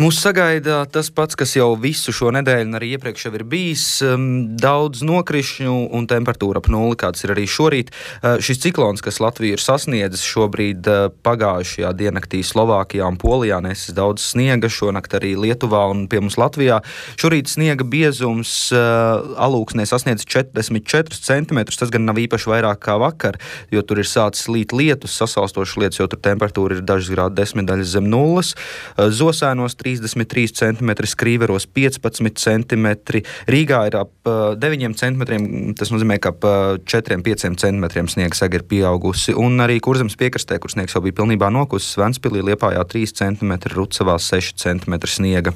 Mūs sagaida tas pats, kas jau visu šo nedēļu un arī iepriekš jau ir bijis. Daudz nokrišņu un temperatūra ap nulli, kāds ir arī šorīt. Šis ciklons, kas Latviju ir sasniedzis šobrīd pagājušajā diennaktī Slovākijā un Polijā, nesis daudz sniega, šonakt arī Lietuvā un pie mums Latvijā. Šorīt sniega biezums Alūksnē sasniedz 44 cm, tas gan nav īpaši vairāk kā vakar, jo tur ir sācis līt lietus, sasalstošas lietus, jo tur temperatūra ir dažas grādu desmitdaļas zem nulles. Zosēnos 33 cm, Skrīveros 15 cm, Rīgā ir ap 9 cm, tas nozīmē, ka ap 4-5 cm sniega saga ir pieaugusi, un arī Kurzemes piekrastē, kur sniegs jau bija pilnībā nokusis, Ventspilī, Liepājā 3 cm, Rucavā 6 cm sniega.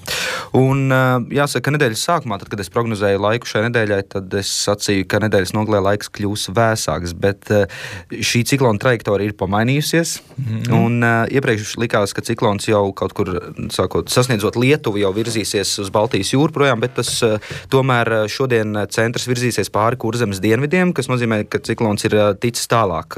Un jāsaka, ka nedēļas sākumā, tad, kad es prognozēju laiku šai nedēļai, tad es sacīju, ka nedēļas nogalē laiks kļūs vēsāks, bet šī ciklona trajektorija ir pamainījusies, un iepriekš likās, ka ciklons jau kaut kur sasniedzot Lietuvu jau virzīsies uz Baltijas jūru projām, bet tas tomēr šodien centrs virzīsies pāri Kurzemes dienvidiem, kas nozīmē, ka ciklons ir ticis tālāk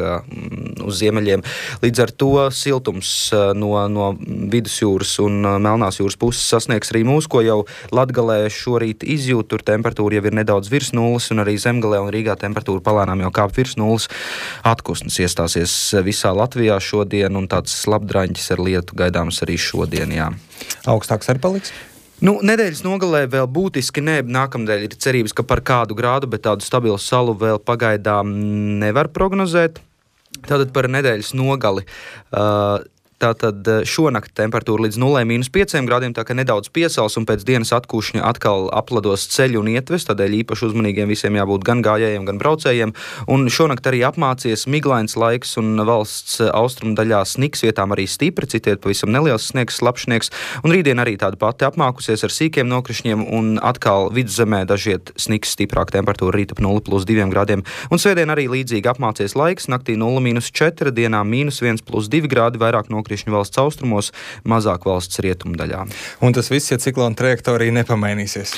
uz ziemeļiem. Līdz ar to siltums no Vidusjūras un Melnās jūras puses sasniegs arī mūs, ko jau Latgalē šorīt izjūt, tur temperatūra jau ir nedaudz virs nulles, un arī Zemgalē un Rīgā temperatūra palēnām jau kāp virs nulles. Atkusnis iestāsies visā Latvijā šodien, un tāds labdraņķis ar lietu gaidāms arī šodien, jā. Augstāks arī paliks? Nedēļas nogalē vēl būtiski ne. Nākamnedēļ ir cerības, ka par kādu grādu, bet tādu stabilu salu vēl pagaidām nevar prognozēt. Tātad par nedēļas nogali. Tātad šonakt temperatūra līdz 0-5 grādiem, tā ka nedaudz piesals un pēc dienas atkūšņa atkal aplados ceļu un ietves, tādēļ īpaši uzmanīgiem visiem jābūt gan gājējiem, gan braucējiem. Un šonakt arī apmācies miglains laiks un valsts austrumu daļā sniks, vietām arī stipri, citiet pavisam neliels sniegs, slapšnieks. Un rītdien arī tāda pati apmākusies ar sīkiem nokrišņiem un atkal vidzemē dažiet sniks, stiprāk temperatūra rīt ap 0+2 grādiem. Un svētdien arī līdzīgi apmācies laiks, naktī 0-4, dienā -1+2 grādi, vairāk nokrišņu valsts austrumos, mazāk valsts rietumdaļā. Un tas viss, ja ciklona trajektorija nepamainīsies?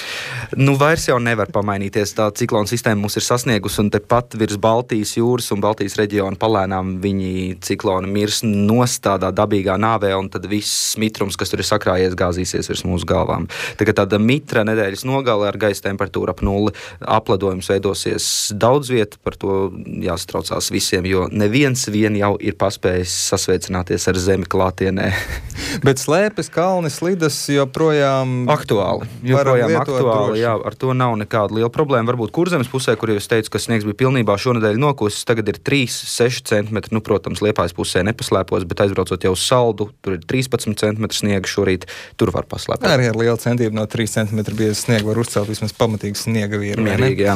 Vairs jau nevar pamainīties. Tā ciklona sistēma mums ir sasniegusi, un tepat virs Baltijas jūras un Baltijas reģiona palēnām viņi cikloni mirs nost tādā dabīgā nāvē, un tad viss mitrums, kas tur ir sakrājies, gāzīsies virs mūsu galvām. Tagad tāda mitra nedēļas nogale ar gaisa temperatūru ap nulli, apledojums veidosies daudz viet, par to jāsatraucās visiem, jo neviens vien jau ir paspējis sasveicināties ar zemi klātienē. Bet slēpes, kalni, slidas joprojām aktuāli. Joprojām aktuāli, jā, ar to nav nekāda liela problēma. Varbūt Kurzemes pusē, kur jau es teicu, ka sniegs bija pilnībā šonedēļ nokusis, tagad ir 3-6 cm. Protams, Liepājas pusē nepaslēpos, bet aizbraucot jau uz Saldu, tur ir 13 cm sniega šorīt, tur var paslēpot. Arī ar lielu centību no 3 cm bieza sniega var uzcelt vismaz pamatīgu sniega vīru. Mierīgi, jā.